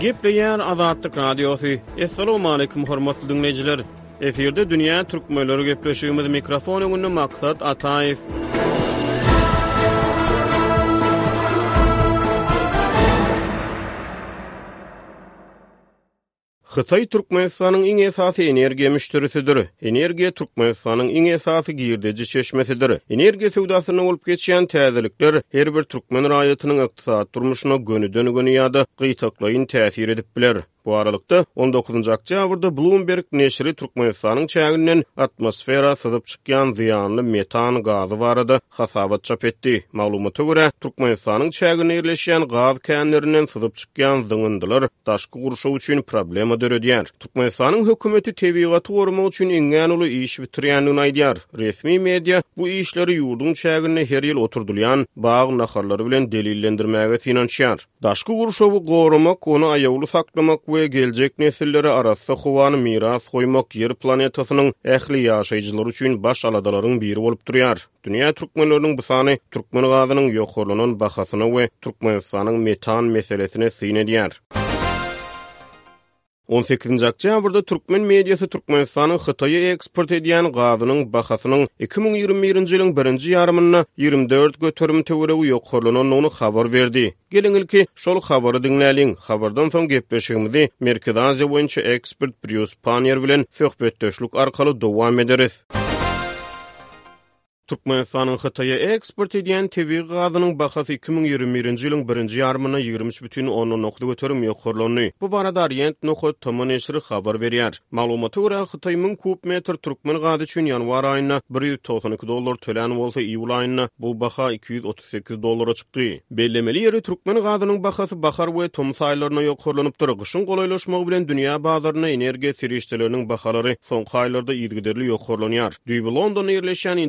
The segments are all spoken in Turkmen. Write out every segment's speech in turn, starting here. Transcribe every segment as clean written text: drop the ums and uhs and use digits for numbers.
Gepleýär Azatlyk Radiosy. Assalamualaikum hormatly diňleýjiler. Efirde dünýä türkmenleri gepleşigimiz mikrofon öňünde Maksat Ataýew. Hytaý Türkmenistanyň iň esasy energiýa müşderisidir. Energiýa Türkmenistanyň iň esasy girdeji çeşmesidir. Energiýa söwdasynda bolup geçýän täzelikler her bir türkmen raýatynyň ykdysady durmuşyna gönüden-göni ýa-da gytaklaýyn täsir edip biler. Bu aralykda, on dokuzynjy oktýabrda Bloomberg neşiri Türkmenistanyň çäginden atmosfera syzyp çykýan zyýanly metan gazy barada hasabat çap etdi. Maglumata görä, Türkmenistanyň çäginde ýerleşýän gaz känlerinden syzyp çykýan zyňyndylar daşky gurşaw üçin problema döredýär. Türkmenistanyň hökümeti tebigaty goramak üçin iňňän uly iş bitirýändigini aýdýar. Resmi media bu işleri ýurduň çäginde her ýyl oturdylýan bag nahallary bilen delillendirmäge synanyşýar. Daşky gurşawy goramak, ony aýawly saklamak we geljek nesillere arassa howany miras goýmak Ýer planetasynyň ähli ýaşaýjylary üçin baş aladalaryň biri bolup durýar. Dünýä türkmenleriniň bu sany türkmen gazynyň ýokarlanan bahasyna we Türkmenistanyň metan meselesine syn edýär. On sekizinji oktýabrda türkmen mediasy Türkmenistanyň Hytaýa eksport edýän gazynyň bahasynyň 2021-nji ýylyň birinji ýarymynda 24% töweregi ýokarlanandygyny habar berdi. Geliň ilki şol habary diňläliň, habardan soň gepleşigimizi Merkezi Aziýa boýunça ekspert Brýus Panniýer bilen söhbetdeşlik arkaly dowam ederis. Türkmenistanyň Hytaýa eksport edýän tebigy gazynyň bahasy 2021-nji ýylyň birinji ýarymynda 23,9% ýokarlandy. Bu barada Orient nokat tm neşiri habar berýär. Maglumata görä, Hytaý 1000 kub metr türkmen gazy üçin ýanwar aýynda 192 dollar tölän bolsa, iýul aýynda bu baha 238 dollara çykdy. Bellemeli ýeri, türkmen gazynyň bahasy bahar we tomus aýlarynda ýokarlanypdyr. Gyşyň golaýlaşmagy bilen dünýä bazarynda energiýa serişdeleriniň bahalary soňky aýlarda yzygiderli ýokarlanýar. Düýbi Londonda ýerleşýän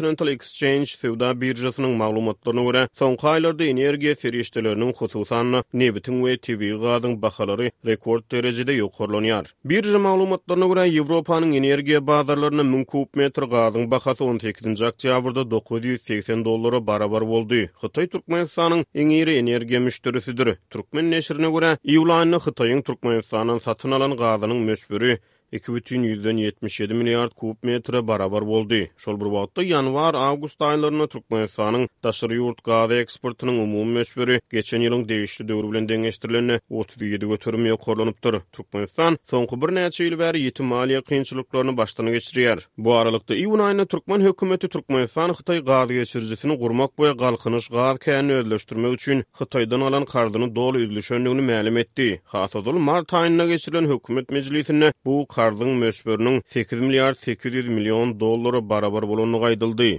Intercontinental Exchange söwda biržasynyň maglumatlaryna görä, soňky aýlarda energiýa serişdeleriniň, hususan-da, nebitiň we tebigy gazyň bahalary rekord derejede ýokarlanýar. Birža maglumatlaryna görä, Ýewropanyň energiýa bazarlarynda 1000 kub metr gazyň bahasy on sekizinji oktýabrda 980 dollara barabar boldy. Hytaý Türkmenistanyň iň iri energiýa müşderisidir. Türkmen neşirine görä, iýul aýynda Hytaýyň Türkmenistandan satyn alan gazynyň möçberi 2,77 milliard kub metre barabar boldy. Şol bir wagtda, ýanwar-awgust aýlarynda Türkmenistanyň daşary ýurt gaz eksportynyň umumy möçberi geçen ýylyň degişli döwri bilen deňeşdirilende 37% ýokarlanypdyr. Türkmenistan soňky birnäçe ýyl bäri ýiti maliýe kynçylyklaryny başdan geçirýär. Bu aralykda, iýun aýynda türkmen hökümeti Türkmenistan-Hytaý gazgeçirijisini gurmak we Galkynyş gaz känini özleşdirmek üçin Hytaýdan alan karzyny doly üzlüşendigini mälim etdi. Has ozal mart aýynda geçirilen hökümet mejlisinde bu karzyň möçberiniň sekiz milliard 800 million dollara barabar bolandygy aýdyldy.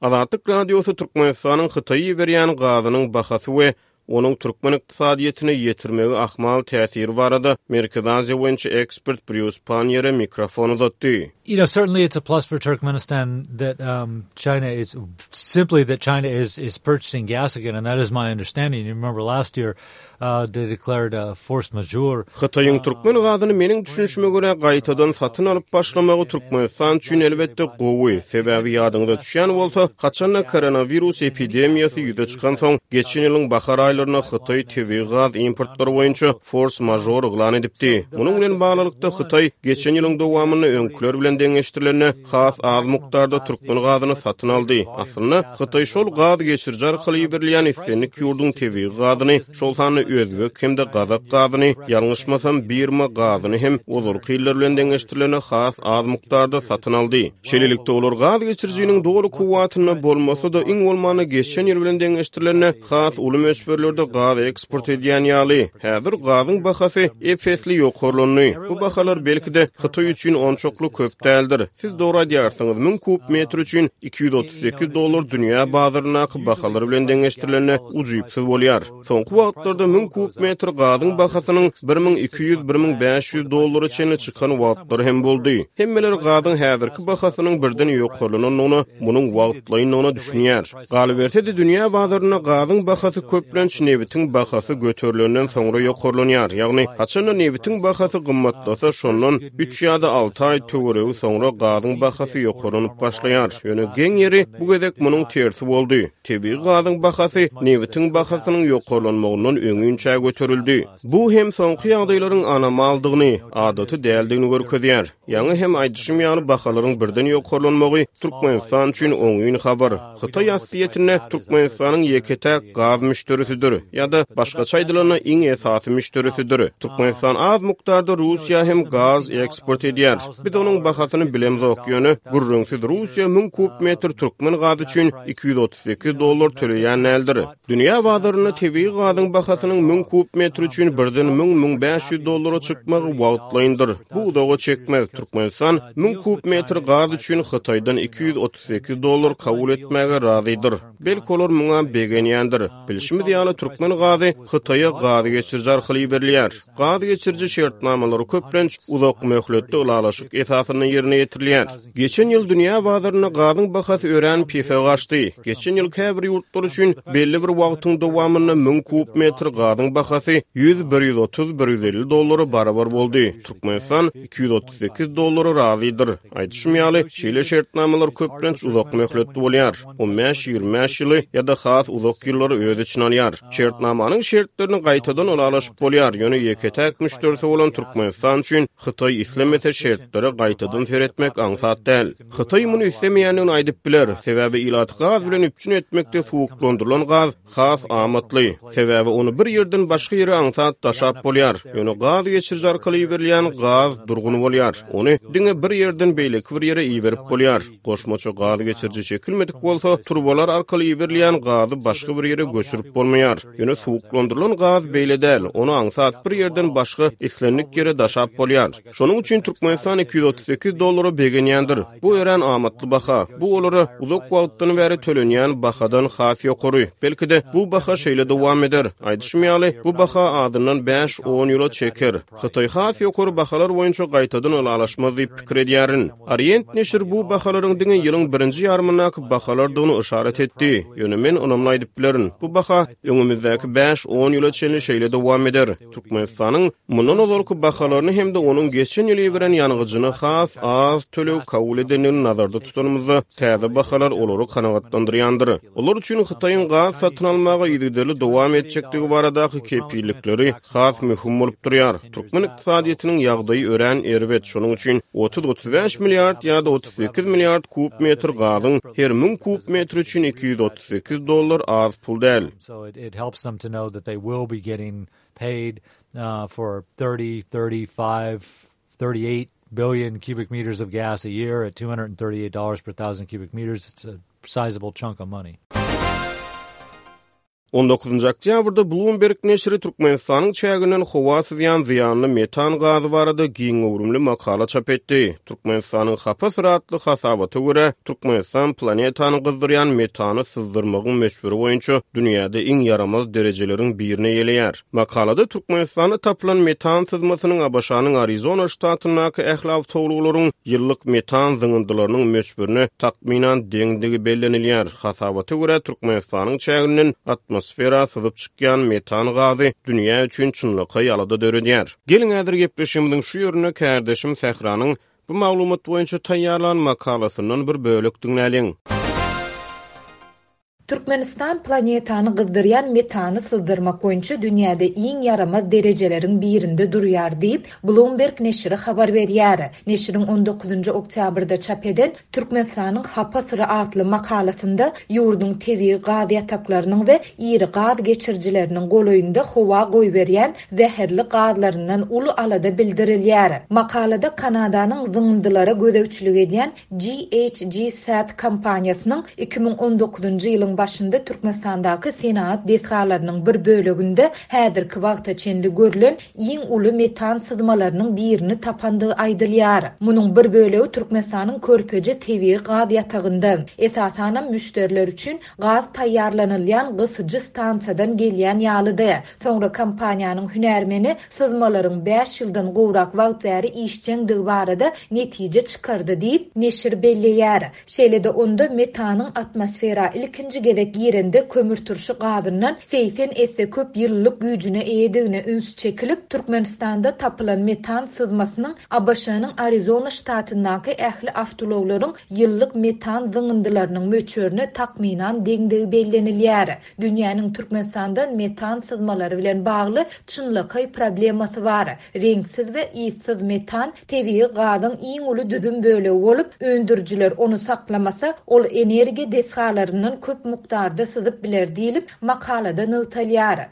Azatlyk Radiosy Türkmenistanyň Hytaýa iberýän gazynyň bahasy we onuň türkmen ykdysadyýetine ýetirmegi ahmal täsiri barada Merkezi Aziýa boýunça ekspert Brýus Panniýere mikrofon uzatdy. You know, certainly it's a plus for Turkmenistan that um, China is simply that China is is purchasing gas again, and that is my understanding. You remember last year uh, they declared a force majeure. Hytaýyň türkmen gazyny meniň düşünişime görä gaýtadan satyn alyp başlamagy Türkmenistan üçin elbetde gowy, sebäbi ýadyňyza düşýän bolsa, haçanda koronawirus epidemiýasy ýüze çykansoň, geçen ýylyň bahar aýlarynda Hytaý tebigy gaz importlary boýunça fors-mažor yglan edipdi. Munuň bilen baglylykda, Hytaý geçen ýylyň dowamynda öňküler bilen deňeşdirilende has az mukdarda türkmen gazyny satyn aldy. Aslynda, Hytaý şol gaz geçiriji arkaly iberilýän islendik ýurduň tebigy gazyny, şol sanda özbek hem-de gazak gazyny, ýalňyşmasam, birma gazyny hem ozalky ýyllar bilen deňeşdirilende has az mukdarda satyn aldy. Şeýlelikde, olar gaz geçirijiniň doly kuwwatynda bolmasa-da, iň bolmanda geçen ýyl bilen deňeşdirilende has uly möçberlerde gaz eksport edýän ýaly. Häzir gazyň bahasy ep-esli ýokarlandy. Bu bahalar, belki-de, Hytaý üçin onçakly köp däldir. Siz dogry aýdýarsyňyz, 1000 kub metr üçin 238 dollar dünýä bazaryndaky bahalar bilen deňeşdirilende ujypsyz bolýar. Soňky wagtlarda 1000 kub metr gazyň bahasynyň 1200, 1500 dollara çenli çykan wagtlary hem boldy. Hemmeler gazyň häzirki bahasynyň birden ýokarlanandygyna, munuň wagtlaýyndygyna düşünýär. Galyberse-de, dünýä bazarynda gazyň bahasy köplenç. köplenç nebitiň bahasy göterilenden soňra ýokarlanýar. Ýagny, haçanda nebitiň bahasy gymmatlasa, şondan üç ýa-da alty aý töweregi soňra gazyň bahasy ýokarlanyp başlaýar. Ýöne geň ýeri, bu gezek munuň tersi boldy. Tebigy gazyň bahasy nebitiň bahasynyň ýokarlanmagyndan öňinçä göterildi. Bu hem soňky ýagdaýlaryň anomaldygyny, adaty däldigini görkezýär. Ýaňy hem aýdyşym ýaly bahalaryň birden ýokarlanmagy Türkmenistan üçin oňyn habar. Hytaý aslyýetinde Türkmenistanyň ýeke-täk gaz müşderisidir ýa-da başgaça aýdylanda iň esasy müşderisidir. Türkmenistan az mukdarda Russiýa hem gaz eksport edýär. Biz onuň bahasyny bilemzok, ýöne gürrüňsiz Russiýa 1000 kub metr türkmen gazy üçin 238 dollar töleýän däldir. Dünýä bazarynda tebigy gazyň bahasynyň 1000 kub metr üçin birden 1000-1500 dollara çykmagy wagtlaýyndyr. Bu uzaga çekmez. Türkmenistan 1000 kub metr gaz üçin Hytaýdan 238 dollar kabul etmäge razydyr. Belki olar muňa begenýändir. Bilşimiz ýaly, türkmen gazy Hytaýa gaz geçiriji arkaly iberilýär. Gaz geçiriji şertnamalary köplenç uzak möhletli ylalaşyk esasynda ýerine ýetirilýär. Geçen ýyl dünýä bazarynda gazyň bahasy örän pese gaçdy. Geçen ýyl käbir ýurtlar üçin belli bir wagtyň dowamynda 1000 kub metr gazyň bahasy 100, 130, 150 dollara barabar boldy. Türkmenistan 238 dollara razydyr. Aýdyşym ýaly, şeýle şertnamalar köplenç uzak möhletli bolýar, on bäş-ýigrimi bäş ýyly ýa-da has uzak ýyllary öz içine alýar. Şertnamanyň şertlerini gaýtadan ylalaşyp bolýar, ýöne ýeke-täk müşderisi bolan Türkmenistan üçin Hytaý islemese şertlere gaýtadan seretmek aňsat däl. Hytaý muny islemeýändigini aýdyp biler, sebäbi ilaty gaz bilen üpjün etmekde suwuklandyrylan gaz Has amatly, sebäbi ony bir ýerden başga ýere aňsat daşap bolýar. Ýöne gaz geçiriji arkaly iberilýän gaz durgun bolýar. Ony diňe bir ýerden beýleki bir ýere iberip bolýar. Goşmaça gaz geçiriji çekilmedik bolsa, turbalar arkaly iberilýän gazy başga bir ýere göçürip bolmaýar. Ýöne suwuklandyrylan gaz beýle däl, ony aňsat bir ýerden başga islendik ýere daşap bolýar. Şonuň üçin Türkmenistan 238 dollara begenýändir. Bu örän amatly baha. Bu olara uzak wagtdan bäri tölenýän bahadan has ýokary. Belki-de, bu baha şeýle dowam eder. Aýdyşym ýaly, bu baha azyndan bäş-on ýyla çeker. Hytaý has ýokary bahalar boýunça gaýtadan ylalaşmaz diýip pikir edýärin. Orient neşiri bu bahalaryň diňe ýylyň birinji ýarymyndaky bahalardygyny yşarat etdi. Ýöne men ynamly aýdyp bilerin, bu baha öňümizdäki bäş-on ýyla çenli şeýle dowam eder. Türkmenistanyň mundan ozalky bahalaryny hem-de onuň geçen ýyl iberen ýangyjyny has az töleg kabul edendigini nazarda tutanymyzda, täze bahalar olary kanagatlandyrýandyr. Olar üçin Hytaýyň gaz satyn almaga yzygiderli dowam etjekdigi baradaky kepillikleri has möhüm bolup durýar. Türkmen ykdysadyýetiniň ýagdaýy örän erbet, şonuň üçin 30-35 milliard ýa-da 38 milliard kub metr gazyň her 1000 kub metri üçin 238 dollar az pul däl. So it, it helps them to know that they will be getting paid uh, for 30, 35, 38 billion cubic meters of gas a year at $238 per thousand cubic meters. It's a sizable chunk of money. On dokuzynjy oktýabrda Bloomberg neşiri Türkmenistanyň çäginden howa syzýan zyýanly metan gazy barada giň göwrümli makala çap etdi. Türkmenistanyň hapa syry atly hasabata görä, Türkmenistan planetany gyzdyrýan metany syzdyrmagyň möçberi boýunça dünýäde iň ýaramaz derejeleriň birini eýeleýär. Makalada Türkmenistanda tapylan metan syzmasynyň ABŞ-nyň Arizona ştatyndaky ähli awtoulaglaryň ýyllyk metan zyňyndylarynyň möçberine takmynan deňdigi bellenilýär. Hasabata görä, Türkmenistanyň çäginden atmosfera syzyp çykýan metan gazy dünýä üçin çynlakaý alada döredýär. Geliň häzir gepleşigimiziň şu ýerinde kärdeşim Sähranyň bu maglumat boýunça taýýarlan makalasyndan bir bölek diňläliň. Türkmenistan planetany gyzdyrýan metany syzdyrmak boýunça dünýäde iň ýaramaz derejeleriň birinde durýar diýip, Bloomberg neşiri habar berýär. Neşiriň on dokuzynjy oktýabrda çap eden Türkmenistanyň hapa syry atly makalasynda ýurduň tebigy gaz ýataklarynyň we iri gaz geçirijileriniň golaýynda howa goýberýän zäherli gazlaryndan uly alada bildirilýär. Makalada Kanadanyň zyňyndylara gözegçilik edýän GHG Sat kompaniýasynyň 2019-njy ýylyň başynda Türkmenistandaky senagat desgalarynyň bir böleginde häzirki wagta çenli görlen iň uly metan syzmalarynyň birini tapandygy aýdylýar. Munuň bir bölegi Türkmenistanyň Körpeje tebigy gaz ýatagynda, esasanam müşderiler üçin gaz taýýarlanylýan gysyjy stansiýadan gelýän ýalydy. Soňra kompaniýanyň hünärmeni syzmalaryň bäş ýyldan gowrak wagt bäri işjeňdigi barada netije çykardy diýip, neşir belleýär. Şeýle-de onda metanyň atmosfera ilkinji. ilkinji gezek girende kömürturşy gazyndan 80 esse köp ýylylyk güýjüne eýedigine üns çekilip, Türkmenistanda tapylan metan syzmasynyň ABŞ-nyň Arizona ştatyndaky ähli awtoulaglaryň ýyllyk metan zyňyndylarynyň möçberine takmynan deňdigi bellenilýär. Dünýäniň Türkmenistandan metan syzmalary bilen bagly çynlakaý problemasy bar. Reňksiz we yssyz metan tebigy gazyň iň uly düzüm bölegi bolup, öndürijiler ony saklamasa, ol energiýa desgalaryndan köp mukdarda syzyp biler diýlip, makalada nygtalýar.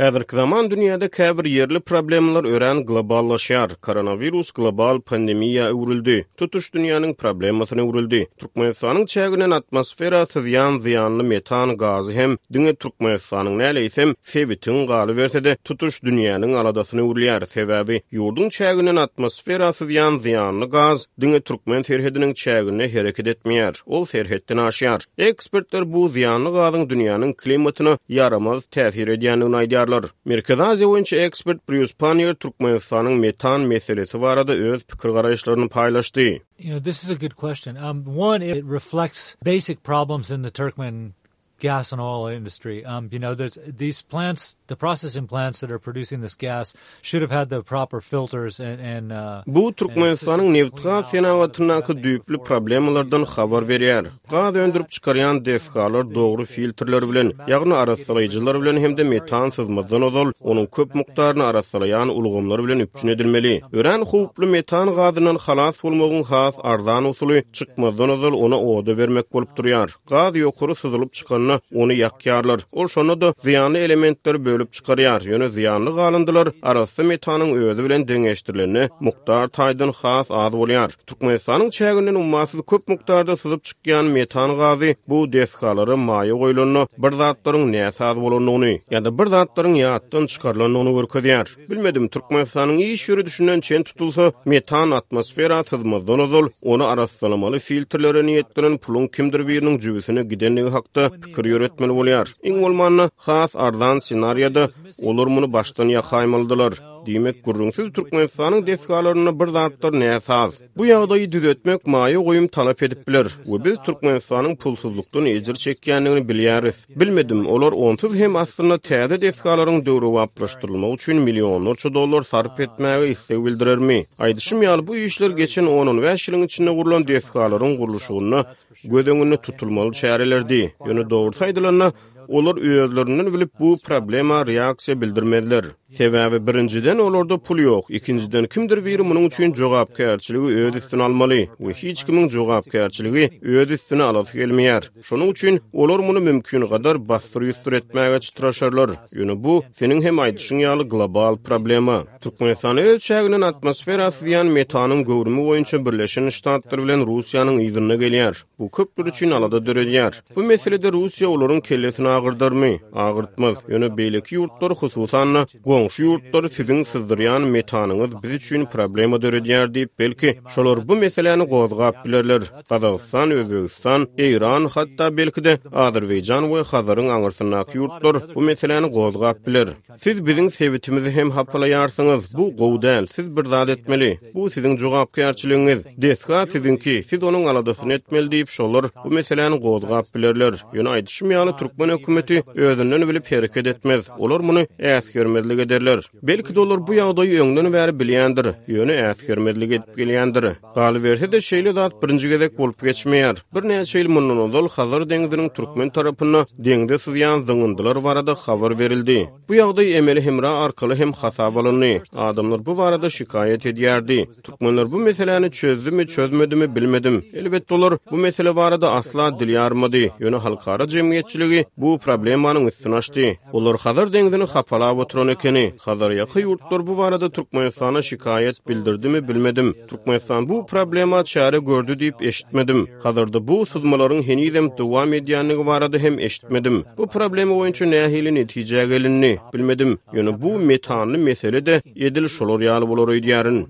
Häzirki zaman dünýäde käbir ýerli problemalar örän globallaşýar. Koronawirus global pandemiýa öwrüldi. Tutuş dünýäniň problemasyna öwrüldi. Türkmenistanyň çäginden atmosfera syzýan zyýanly metan gazy hem diňe Türkmenistanyň däl, eýsem, sebitiň, galyberse-de, tutuş dünýäniň aladasyna öwrülýär. Sebäbi ýurduň çäginden atmosfera syzýan zyýanly gaz diňe türkmen serhediniň çäginde hereket etmeýär, ol serhetden aşýar. Ekspertler bu zyýanly gazyň dünýäniň klimatyna ýaramaz täsir edýändigini aýdýarlar. Merkezi Aziýa boýunça ekspert Brýus Panniýer Türkmenistanyň metan meselesi barada öz pikir-garaýyşlaryny paýlaşdy. You know, this is a good question. Um, one, it reflects basic problems in the Turkmen gas and oil industry. Um, you know, there's these plants, the processing plants that are producing this gas should have had the proper filters and, and uh, Bu Türkmenistanyň nebitgaz senagatyndaky düýpli problemalardan habar berýär. Gaz öndürip çykarýan desgalar dogry filtrler bilen, ýagny arassalaýjylar bilen hem-de metan syzmazdan ozal onuň köp mukdaryny arassalaýan ulgamlar bilen üpjün edilmeli. Örän howply metan gazyndan halas bolmagyň has arzan usuly çykmazdan ozal ony oda bermek bolup durýar. Gaz ýokary syzylyp çykanda, ony ýakýarlar. Ol şonda-da zyýanly elementleri bölüp çykarýar, ýöne zyýanly galyndylar arassa metanyň özi bilen deňeşdirilende mukdar taýdan has az bolýar. Türkmenistanyň çäginden ummasyz köp mukdarda syzyp çykýan metan gazy bu desgalara maýa goýlanda bir zatlaryň näsaz bolandygyny ýa-da bir zatlaryň ýatdan çykarylandygyny görkezýär. Bilmedim, Türkmenistanyň iş ýöredişinden çen tutulsa, metan atmosfera syzmazdan ozal, ony arassalamaly filtrlere niýetlenen puluň kimdir biriniň jübüsine gidendigi hakda pikir ýöretmeli bolýar. Iň bolmanda, has arzan ssenariýada olar muny başdan ýakaýmalydylar. Diýmek, gürrüňsiz Türkmenistanyň desgalarynda bir zatlar näsaz. Bu ýagdaýy düzetmek maýa goýum talap edip biler we biz Türkmenistanyň pulsuzlykdan ejir çekýändigini bilýäris. Bilmedim, olar onsuz hem aslynda täze desgalaryň döwrebaplaşdyrylmagy üçin millionlarça dollar sarp etmäge isleg bildirermi? Aýdyşym ýaly, bu işler geçen on-on bäş ýylyň içinde gurlan desgalaryň gurluşygynda göz öňünde tutulmaly çärelerdi. Ýöne dogrusy aýdylanda, olar özlerinden bilip bu problema reaksiýa bildirmezler. Sebäbi, birinjiden, olarda pul ýok, ikinjiden, kimdir biri munuň üçin jogapkärçiligi öz üstüne almaly we hiç kimiň jogapkärçiligi öz üstüne alasy gelmeýär. Şonuň üçin olar muny mümkingadar bassyr-ýusdur etmäge çytraşarlar. Ýöne bu, seniň hem aýdyşyň ýaly, global problema. Türkmenistan öz çäginden atmosfera syzýan metanyň göwrümi boýunça Birleşen Ştatlar bilen Russiýanyň yzynda gelýär. Bu köpler üçin alada döredýär. Bu meselede Russiýa olaryň kellesini agyrdarmy? Agyrtmaz. Ýöne beýleki ýurtlar, hususan-da, goňşy ýurtlar siziň syzdyrýan metanyňyz biz üçin problema döredýär diýip, belki, şolar bu meseläni gozgap bilerler. Gazagystan, Özbegistan, Eýran, hatda belki-de, Azerbaýjan we Hazaryň aňyrsyndaky ýurtlar bu meseläni gozgap biler. Siz biziň sebitimizi hem hapalaýarsyňyz, bu gowy däl, siz bir zat etmeli, bu siziň jogapkärçiligiňiz, desga siziňki, siz onuň aladasyny etmeli diýip, şolar bu meseläni gozgap bilerler. Ýöne aýdyşym ýaly, türkmen hökümeti özünden bilip hereket etmez, olar muny äsgermezlik ederler. Belki-de olar bu ýagdaýy öňden bäri bilýändir, ýöne äsgermezlik edip gelýändir. Galyberse-de, şeýle zat birinji gezek bolup geçmeýär. Birnäçe ýyl mundan ozal Hazar deňziniň türkmen tarapynda deňze syzýan zyňyndylar barada habar berildi. Bu ýagdaý emeli hemra arkaly hem hasaba alyndy. Adamlar bu barada şikaýat edýärdi. Türkmenler bu meseläni çözdümi, çözmedimi bilmedim. Elbetde olar bu mesele barada asla dil ýarmady. Ýöne halkara jemgyýetçiligi bu problemanyň üstüni açdy. Olar Hazar deňzini hapalap oturan ekeni. Hazarýaka ýurtlar bu barada Türkmenistana şikaýat bildirdimi bilmedim. Türkmenistan bu problema çäre gördi diýip eşitmedim. Hazarda bu syzmalaryň henizem dowam edýändigi barada hem eşitmedim. Bu problema boýunça nähili netijä gelindi, bilmedim. Ýöne bu metanly mesele-de edil şolar ýaly bolar öýdýärin.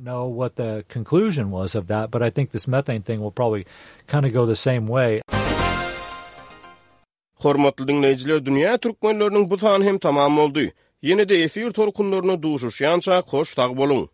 Hormatly diňleýjiler Dünýä Türkmenleriniň bu sany hem tamam boldy. Ýene-de efir tolkunlarynda duşuşýançak hoş sag boluň.